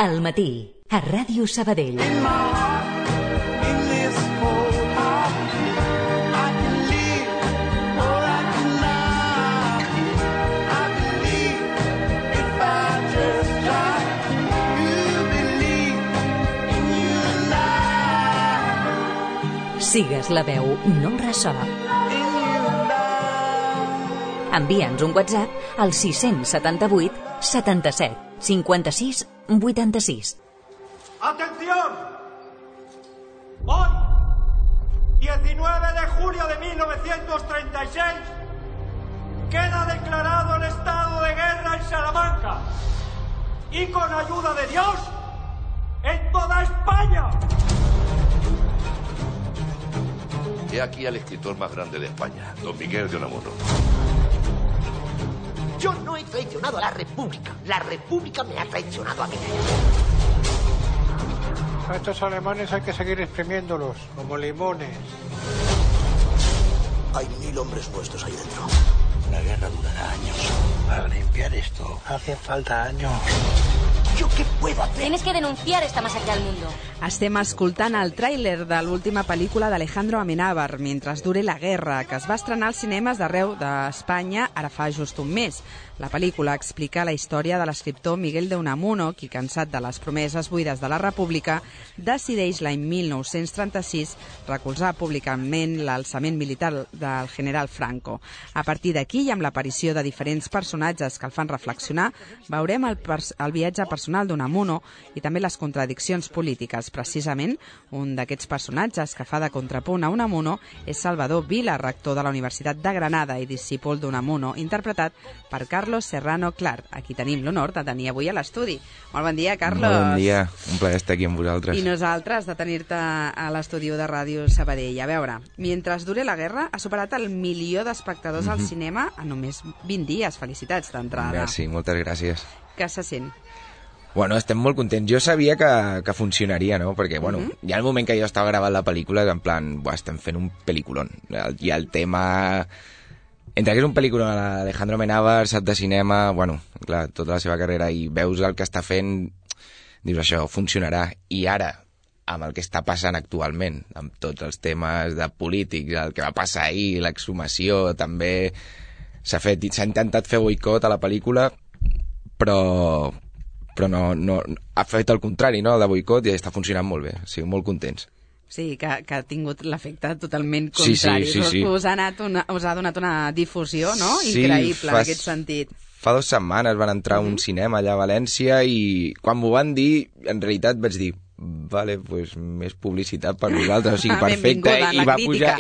Al matí, a Ràdio Sabadell. Sigues la veu, no el ressò. Envia'ns un WhatsApp al 678 77 56 86. ¡Atención! Hoy, 19 de julio de 1936, queda declarado el estado de guerra en Salamanca y con ayuda de Dios, en toda España. He aquí al escritor más grande de España, don Miguel de Unamuno. Yo no he traicionado a la República me ha traicionado a mí. A estos alemanes hay que seguir exprimiéndolos, como limones. Hay 1000 hombres nuestros ahí dentro. La guerra durará años. Para limpiar esto hace falta años. ¿Yo qué puedo hacer? Tienes que denunciar esta masacre al mundo. Estem escoltant el tràiler de l'última pel·lícula d'Alejandro Amenábar, Mentre dure la guerra, que es va estrenar als cinemes d'arreu d'Espanya ara fa just un mes. La pel·lícula explica la història de l'escriptor Miguel de Unamuno, qui, cansat de les promeses buides de la República, decideix l'any 1936 recolzar públicament l'alçament militar del general Franco. A partir d'aquí, i amb l'aparició de diferents personatges que el fan reflexionar, veurem el viatge personal d'Unamuno i també les contradiccions polítiques. Precisament, un d'aquests personatges que fa de contrapunt a Unamuno és Salvador Vila, rector de la Universitat de Granada i discípul d'Unamuno, interpretat per Carlos Serrano Clark, a qui tenim l'honor de tenir avui a l'estudi. Molt bon dia, Carlos. Molt bon dia, un plaer estar aquí amb vosaltres. I nosaltres de tenir-te a l'estudi de Ràdio Sabadell. A veure, Mentre dure la guerra ha superat el 1 milió d'espectadors al cinema en només 20 dies. Felicitats d'entrada. Merci, moltes gràcies. Què se sent? Bueno, estem molt contents. Jo sabia que funcionaria, no? Perquè, bueno, hi ha el moment que jo estava gravant la pel·lícula, en plan, estem fent un pel·lículon. I el tema... Entre que és un pel·lículon a l'Alejandro Amenábar, sap de cinema, bueno, clar, tota la seva carrera, i veus el que està fent, dius, això funcionarà. I ara, amb el que està passant actualment, amb tots els temes de polítics, el que va passar ahir, l'exhumació, també s'ha intentat fer boicot a la pel·lícula, però no, ha fet el contrari, no?, el de boicot, i està funcionant molt bé, o sigui, molt contents. Sí, que ha tingut l'efecte totalment contrari. Sí. Us ha donat una difusió, no?, increïble en aquest sentit. Fa 2 setmanes van entrar a un cinema allà a València i quan m'ho van dir, en realitat vaig dir, vale, pues més publicitat per nosaltres, o sigui, perfecte,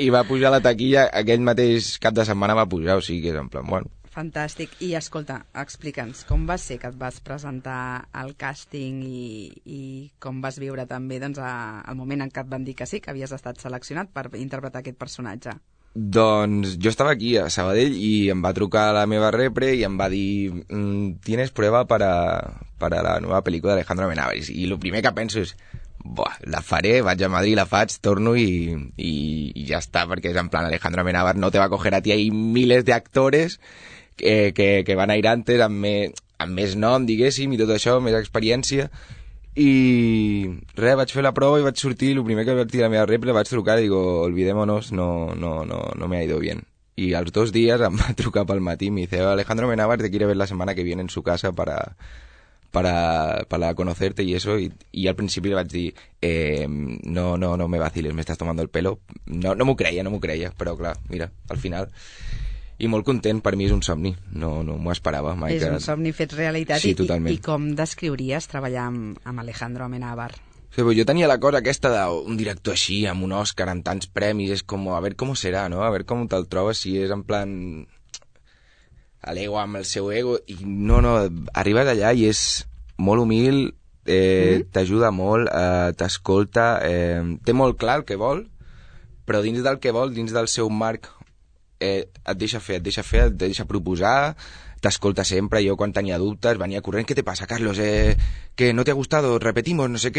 i va pujar la taquilla, aquell mateix cap de setmana va pujar, o sigui, que és en plan, bueno. Fantàstic. I escolta, explica'ns, com va ser que et vas presentar al càsting i com vas viure també doncs, el moment en què et van dir que sí, que havies estat seleccionat per interpretar aquest personatge? Doncs jo estava aquí a Sabadell i em va trucar la meva repre i em va dir tienes prueba para la nueva película de Alejandro Amenábar. I el primer que penso és la faré, vaig a Madrid, la faig, torno i ja està, perquè és en plan Alejandro Amenábar no te va a coger a ti, hay miles de actores que van a ir antes amb més nom, diguéssim, i tot això, més experiència, i res, vaig fer la prova i vaig sortir, el primer que vaig dir a la meva repre, vaig trucar i digo, olvidémonos, no me ha ido bien. Y a los 2 días em va trucar pel matí y me dice, Alejandro Amenábar te quiere ver la semana que viene en su casa para conocerte y eso, y al principi le vaig dir no me vaciles, me estás tomando el pelo. No m'ho creia, però clar, mira, al final... I molt content, per mi és un somni, no m'ho esperava mai. És un somni fet realitat. Sí, totalment. I com descriuries treballar amb Alejandro Amenábar? Sí, jo tenia la cosa aquesta d'un director així, amb un Òscar, amb tants premis, és com, a veure com serà, no? A veure com te'l trobes, si és en plan... l'ego amb el seu ego, i no, arribes allà i és molt humil, t'ajuda molt, t'escolta, té molt clar el que vol, però dins del que vol, dins del seu marc, et deixa fer, et deixa proposar, t'escolta sempre. Jo quan tenia dubtes venia corrent, ¿qué te pasa, Carlos? Que no te ha gustado, repetimos, no sé,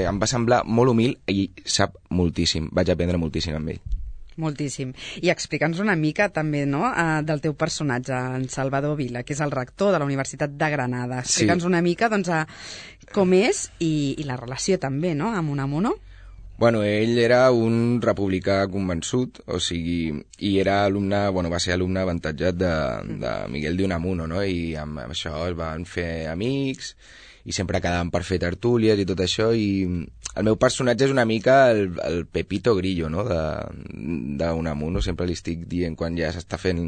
em va semblar molt humil i sap moltíssim, vaig aprendre moltíssim amb ell. Moltíssim. I explica'ns una mica també, no?, del teu personatge, en Salvador Vila, que és el rector de la Universitat de Granada. Explica'ns una mica, doncs, com és i la relació també, no?, amb Unamuno. Bueno, ell era un republicà convençut, o sigui, i era alumne, va ser alumne avantatjat de Miguel de Unamuno, no?, i amb això es van fer amics, i sempre quedaven per fer tertúlies i tot això, i el meu personatge és una mica el Pepito Grillo, no?, d'Unamuno. Sempre li estic dient, quan ja s'està fent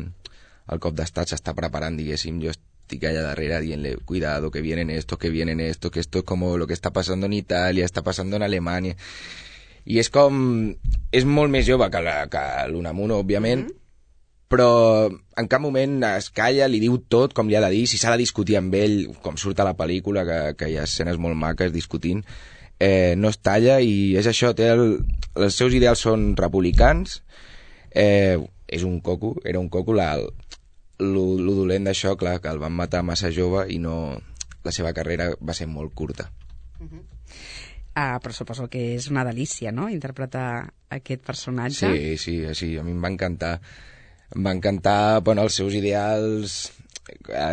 el cop d'estat, s'està preparant, diguéssim, jo estic allà darrere dient-le, cuidado, que vienen esto, que esto es como lo que está pasando en Italia, está pasando en Alemania. I és molt més jove que l'Unamuno, òbviament, però en cap moment es calla, li diu tot com li ha de dir, si s'ha de discutir amb ell, com surt a la pel·lícula, que hi ha escenes molt maques discutint, no es talla, i és això, els seus ideals són republicans, és un coco, era un coco, lo dolent d'això, clar, que el van matar massa jove i no, la seva carrera va ser molt curta. Però suposo que és una delícia, no?, interpretar aquest personatge. Sí, a mi em va encantar. Em va encantar, els seus ideals,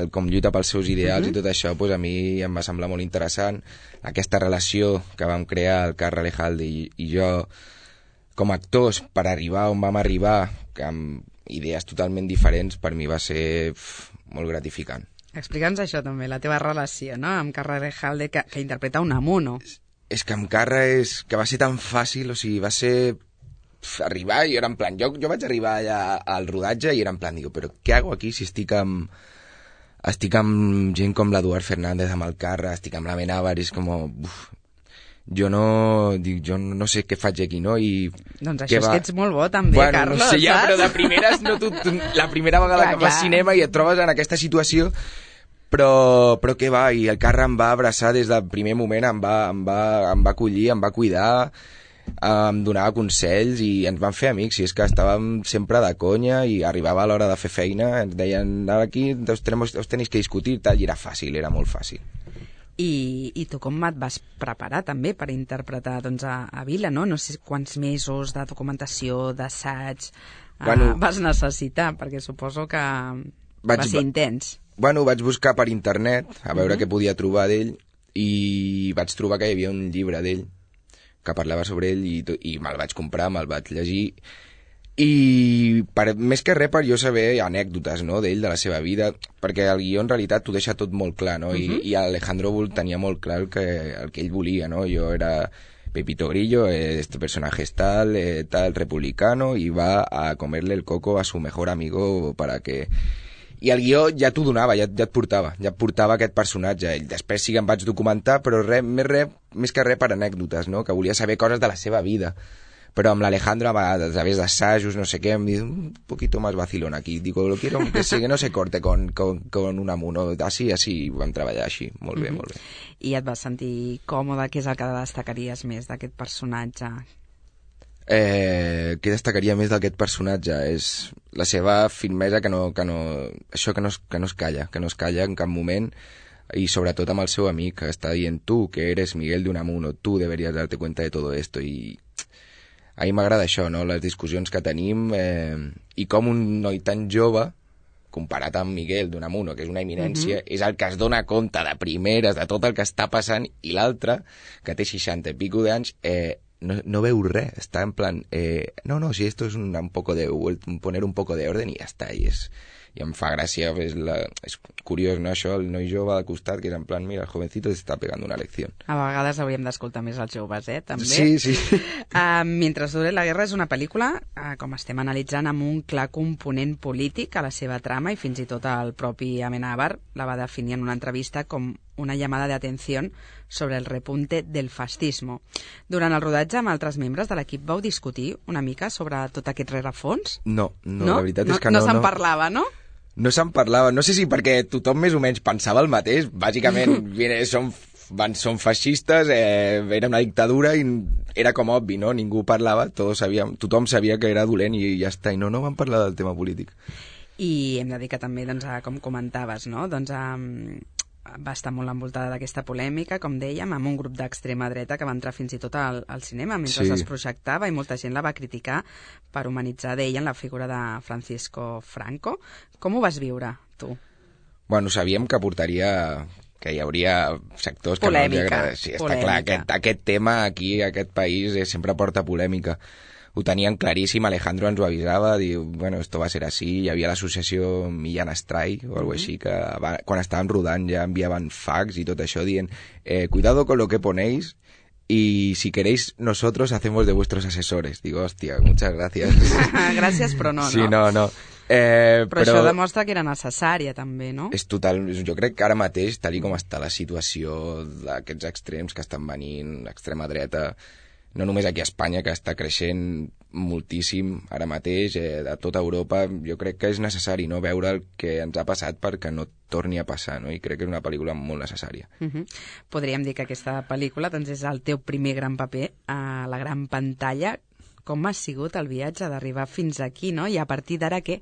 com lluita pels seus ideals i tot això, a mi em va semblar molt interessant. Aquesta relació que vam crear el Carra Alejalde i jo, com a actors, per arribar on vam arribar, amb idees totalment diferents, per mi va ser molt gratificant. Explica'ns això també, la teva relació, no?, amb Carra Alejalde, que interpreta Unamuno. És que amb Carra que va ser tan fàcil, o sigui, va ser arribar i era en plan, jo vaig arribar allà al rodatge i era en plan, digo, però què hago aquí si estic amb gent com l'Eduard Fernández, amb el Carra, estic amb la Amenábar, és com, jo no sé què faig aquí, no? Doncs això és que ets molt bo també, Carlos, no sé, ja, però de primeres la primera vegada que vas cinema i et trobes en aquesta situació, però què va, i el Carra em va abraçar des del primer moment, em va acollir, em va cuidar, em donava consells i ens vam fer amics, i és que estàvem sempre de conya i arribava a l'hora de fer feina, ens deien, aquí us tenéis que discutir, tal, i era fàcil, era molt fàcil. I tu com et vas preparar també per interpretar a Vila, no? No sé quants mesos de documentació, d'assaig vas necessitar, perquè suposo que va ser intens. Vaig buscar per internet a veure què podia trobar d'ell i vaig trobar que hi havia un llibre d'ell que parlava sobre ell i me'l vaig comprar, me'l vaig llegir i més que res per jo saber anècdotes, no?, d'ell, de la seva vida, perquè el guió en realitat t'ho deixa tot molt clar, no? I Alejandro Bull tenia molt clar el que ell volia, no? Jo era Pepito Grillo, este personaje es tal republicano, y va a comerle el coco a su mejor amigo para que... I el guió ja t'ho donava, ja et portava aquest personatge. I després sí que em vaig documentar, però més que res per anècdotes, no?, que volia saber coses de la seva vida. Però amb l'Alejandro, a través d'assajos, no sé què, em diu un poquito más vacilón aquí. Digo, lo quiero que no se corte con Unamuno. Así, vam treballar així. Molt bé, molt bé. I et vas sentir còmode? Què és el que destacaries més d'aquest personatge? Què destacaria més d'aquest personatge? És la seva firmesa, que no es calla en cap moment, y sobre todo amb el seu amic, que està dient, tu, que eres Miguel de Unamuno, tú deberías darte cuenta de todo esto, i a mi m'agrada això, no?, les discussions que tenim, i com un noi tan jove, comparat amb Miguel de Unamuno, que és una eminència, és el que es dona compte de primeres de tot el que està passant, i l'altre, que té 60 i pico d'anys, no veu res, està en plan, no, si esto es poner un poco de orden i ja està, i em fa gràcia, és curiós, no, això, el noi jove al costat, que és en plan, mira, el jovencito està pegant una lecció. A vegades hauríem d'escoltar més els joves, també? Sí. Mentre dure la guerra és una pel·lícula, com estem analitzant, amb un clar component polític a la seva trama, i fins i tot el propi Amenábar la va definir en una entrevista com una llamada de atenció sobre el repunte del fascismo. Durant el rodatge amb altres membres de l'equip vau discutir una mica sobre tot aquest rerefons? No, la veritat és que no. No se'n parlava, no? No se'n parlava, no sé si perquè tothom més o menys pensava el mateix, bàsicament són feixistes, era una dictadura i era com obvi, no? Ningú parlava, tothom sabia que era dolent i ja està, i no van parlar del tema polític. I hem de dir que també, com comentaves, no?, va estar molt envoltada d'aquesta polèmica, com dèiem, amb un grup d'extrema dreta que va entrar fins i tot al cinema mentre es projectava, i molta gent la va criticar per humanitzar, deien, la figura de Francisco Franco. Com ho vas viure, tu? Bueno, sabíem que portaria... que hi hauria sectors que polèmica, no els agrada. Sí, està clar, aquest tema aquí, aquest país, sempre porta polèmica. Ho tenien claríssim, Alejandro ens ho avisava, diu, bueno, esto va a ser así, hi havia l'associació Millán Astray o alguna així, que quan estàvem rodant ja enviaven fax i tot això dient, cuidado con lo que ponéis y si queréis nosotros hacemos de vuestros asesores. Digo, hòstia, muchas gracias. Gràcies, però no, sí, no. Però això demostra que era necessària també, no? És total, jo crec que ara mateix, tal com està la situació d'aquests extrems que estan venint, l'extrema dreta, no només aquí a Espanya, que està creixent moltíssim ara mateix, a tota Europa, jo crec que és necessari, no, veure el que ens ha passat perquè no torni a passar, no? I crec que és una pel·lícula molt necessària. Podríem dir que aquesta pel·lícula doncs, és el teu primer gran paper a la gran pantalla. Com ha sigut el viatge d'arribar fins aquí, no? I a partir d'ara què?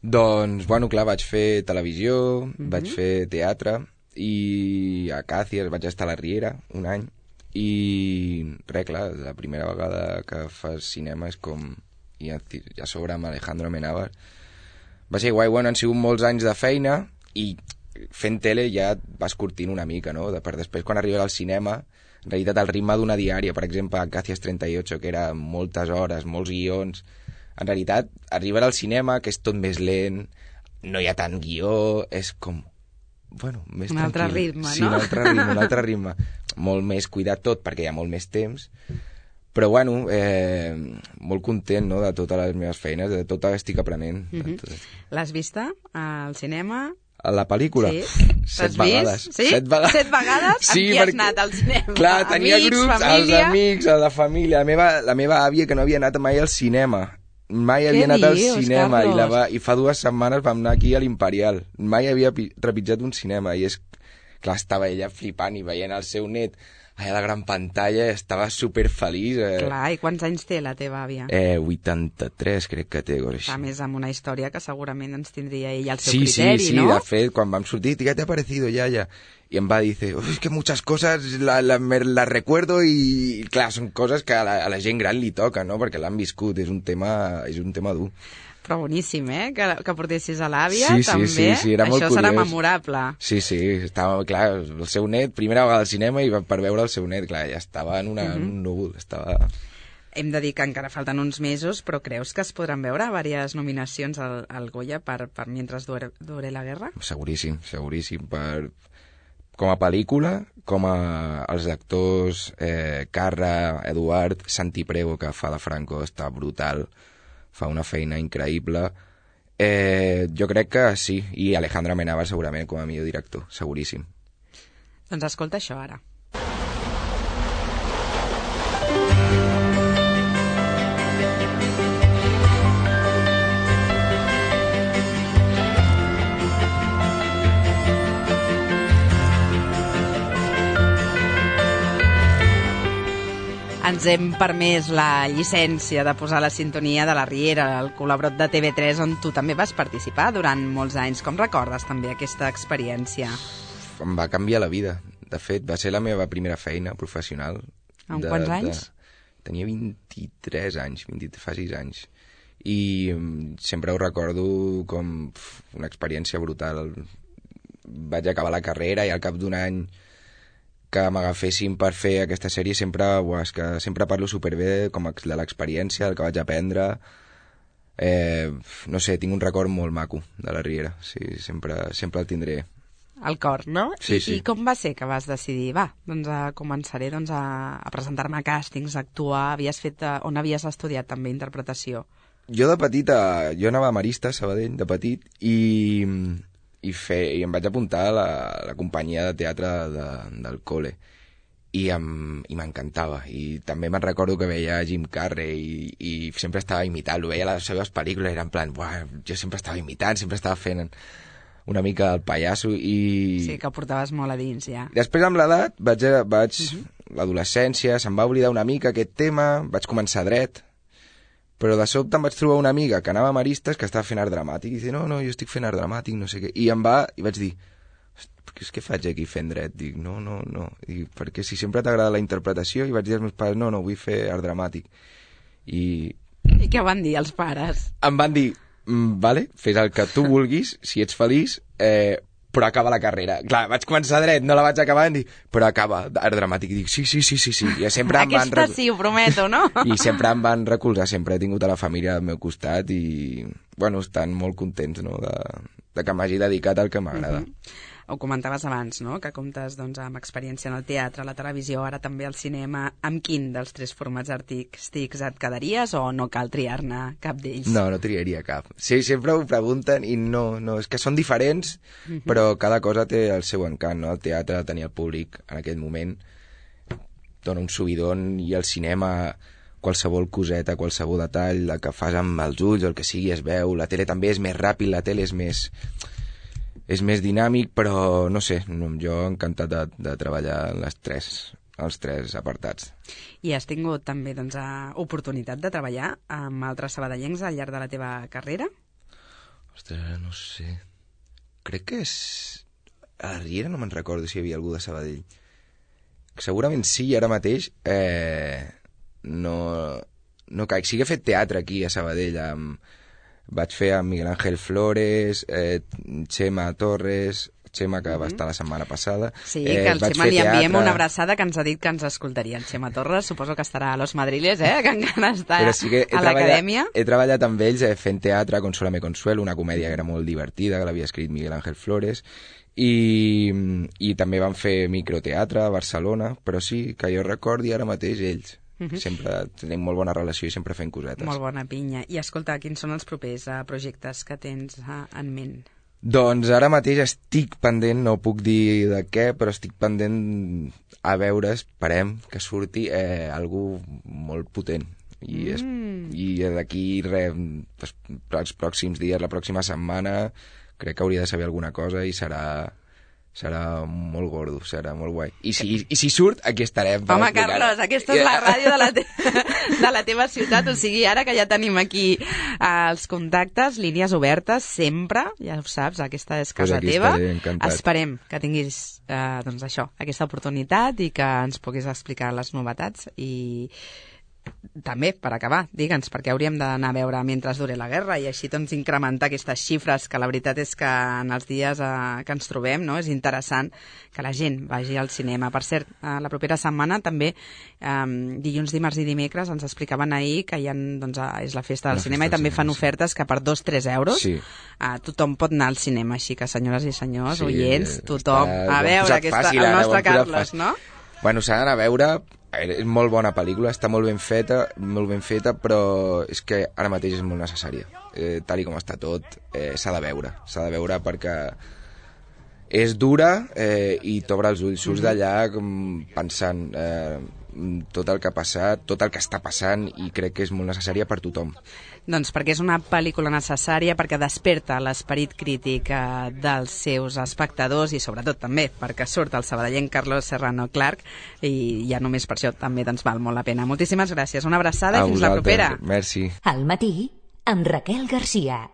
Doncs, bueno, clar, vaig fer televisió, vaig fer teatre, i a Càcies vaig estar a la Riera un any, i res, clar, la primera vegada que fas cinema és com, i a sobre amb Alejandro Amenábar, va ser guai. Bueno, han sigut molts anys de feina, i fent tele ja vas curtint una mica, no? Per després, quan arribes al cinema, en realitat el ritme d'una diària, per exemple, a Càcies 38, que era moltes hores, molts guions, en realitat, arribar al cinema, que és tot més lent, no hi ha tant guió, és com... Bueno, més un tranquil. Altre ritme, sí, no? un altre ritme. Molt més cuidat tot, perquè hi ha molt més temps. Però, bueno, molt content, no?, de totes les meves feines, de tot el que estic aprenent. L'has vista al cinema? A la pel·lícula? Sí. 7 vegades. Sí? 7 vegades? Sí, amb qui has anat al cinema? Clar, tenia amics, grups, família? els amics, a la família. La meva àvia, que no havia anat mai al cinema. Mai havia anat al cinema, i fa 2 setmanes vam anar aquí a l'Imperial. Mai havia trepitjat un cinema, i és... Clar, estava ella flipant i veient el seu net allà a la gran pantalla, estava superfeliç. Clar, i quants anys té la teva àvia? 83, crec que té. A més, amb una història que segurament ens tindria ella al seu criteri, no? Sí, de fet, quan vam sortir, ¿qué te ha parecido, Yaya? I em va dir, es que muchas cosas las recuerdo, i clar, són coses que a la gent gran li toca, no? Perquè l'han viscut, és un tema dur. Però boníssim, que portessis a l'àvia, sí, també. Sí, era molt això curiós. Serà memorable. Sí, estava, clar, el seu net, primera vegada al cinema, i per veure el seu net, clar, ja estava en un núvol, estava... Hem de dir que encara falten uns mesos, però creus que es podran veure diverses nominacions al Goya per Mientras dure la guerra? Seguríssim. Com a pel·lícula, com a els actors Carra, Eduard, Santi Prego, que fa de Franco, està brutal, fa una feina increïble. Jo crec que sí, i Alejandro Amenábar segurament com a millor director, seguríssim. Doncs escolta això ara. Ens hem permès la llicència de posar la sintonia de la Riera, el col·laborat de TV3, on tu també vas participar durant molts anys. Com recordes també aquesta experiència? Em va canviar la vida. De fet, va ser la meva primera feina professional. Amb quants anys? Tenia 23 anys, 26 anys. I sempre ho recordo com una experiència brutal. Vaig acabar la carrera i al cap d'un any que m'agafessin per fer aquesta sèrie sempre parlo superbé com de l'experiència, el que vaig aprendre. No sé, tinc un record molt maco de la Riera, sí, sempre el tindré al cor, no? Sí. I com va ser que vas decidir, començaré a presentar-me a càstings, a actuar? On havies estudiat també interpretació? Jo de petita, jo anava a Marista, Sabadell, de petit, i em vaig apuntar a la companyia de teatre del col·le, i m'encantava. I també me'n recordo que veia Jim Carrey i sempre estava imitant-lo, veia les seves pel·lícules, era en plan, jo sempre estava imitant, sempre estava fent una mica el pallasso, i... Sí, que ho portaves molt a dins, ja. Després, amb l'edat, l'adolescència, se'm va oblidar una mica aquest tema, vaig començar dret, però de sobte em vaig trobar una amiga que anava a Maristes que estava fent art dramàtic, i dice, no, jo estic fent art dramàtic, no sé què, i vaig dir, és que faig aquí fent dret? Dic, no. I perquè si sempre t'agrada la interpretació, i vaig dir als meus pares, no, vull fer art dramàtic. I què van dir els pares? Em van dir, vale, fes el que tu vulguis, si ets feliç, però acaba la carrera. Clar, vaig començar dret, no la vaig acabar, i dic, però acaba art dramàtic. I dic, sí. I sempre aquesta sí, ho prometo, no? I sempre em van recolzar, sempre he tingut a la família al meu costat i, bueno, estan molt contents, no?, de que m'hagi dedicat al que m'agrada. Ho comentaves abans, no?, que comptes doncs, amb experiència en el teatre, la televisió, ara també al cinema. Amb quin dels 3 formats artístics et quedaries o no cal triar-ne cap d'ells? No triaria cap. Sí, sempre ho pregunten i no, és que són diferents, però cada cosa té el seu encant, no? El teatre, tenir el públic en aquell moment, dona un subidon, i el cinema, qualsevol coseta, qualsevol detall, la que fas amb els ulls, el que sigui es veu. La tele també és més ràpid, la tele és més dinàmic, però no sé, jo encantat de treballar en els tres apartats. I has tingut també doncs, oportunitat de treballar amb altres sabadellencs al llarg de la teva carrera? Ostres, no sé. Crec que és... A la Riera no me'n recordo si hi havia algú de Sabadell. Segurament sí, ara mateix no caic. Sí que he fet teatre aquí a Sabadell vaig fer amb Miguel Ángel Flores, Xema Torres, Xema, que va estar la setmana passada. Sí, que al Xema li enviem una abraçada, que ens ha dit que ens escoltaria. El Xema Torres, suposo que estarà a Los Madriles, que encara està a l'acadèmia. He treballat amb ells fent teatre, Consólame Consuelo, una comèdia que era molt divertida, que l'havia escrit Miguel Ángel Flores, i també van fer microteatre a Barcelona, però sí, que jo recordi ara mateix ells. Sempre tenim molt bona relació i sempre fem cosetes. Molt bona pinya. I escolta, quins són els propers projectes que tens en ment? Doncs ara mateix estic pendent, no puc dir de què, però estic pendent a veure, esperem que surti algú molt potent. I d'aquí els pròxims dies, la pròxima setmana, crec que hauria de saber alguna cosa i serà molt gordo, serà molt guai. I si surt, aquí estarem. Home, Carlos, aquesta és la ràdio de la teva ciutat, o sigui, ara que ja tenim aquí els contactes, línies obertes, sempre, ja ho saps, aquesta és casa teva. Esperem que tinguis, doncs això, aquesta oportunitat i que ens puguis explicar les novetats i... També, per acabar, digue'ns, perquè hauríem d'anar a veure mentre dure la guerra i així doncs incrementar aquestes xifres, que la veritat és que en els dies que ens trobem, no, és interessant que la gent vagi al cinema. Per cert, la propera setmana també, dilluns, dimarts i dimecres, ens explicaven ahir que hi ha, doncs, és la festa del cinema i també fan ofertes que per 2-3 euros tothom pot anar al cinema, així que senyores i senyors, oients, tothom, a veure el nostre Carlos, no? Bueno, s'ha d'anar a veure, és molt bona pel·lícula, està molt ben feta, però és que ara mateix és molt necessària. Tal com està tot, s'ha de veure perquè és dura i t'obre els ulls, surts d'allà pensant tot el que ha passat, tot el que està passant, i crec que és molt necessària per tothom. Doncs perquè és una pel·lícula necessària, perquè desperta l'esperit crític dels seus espectadors i sobretot també perquè surt el sabadellenc Carlos Serrano Clark i ja només per això també doncs val molt la pena. Moltíssimes gràcies, una abraçada i fins la propera. Merci. Al matí amb Raquel Garcia.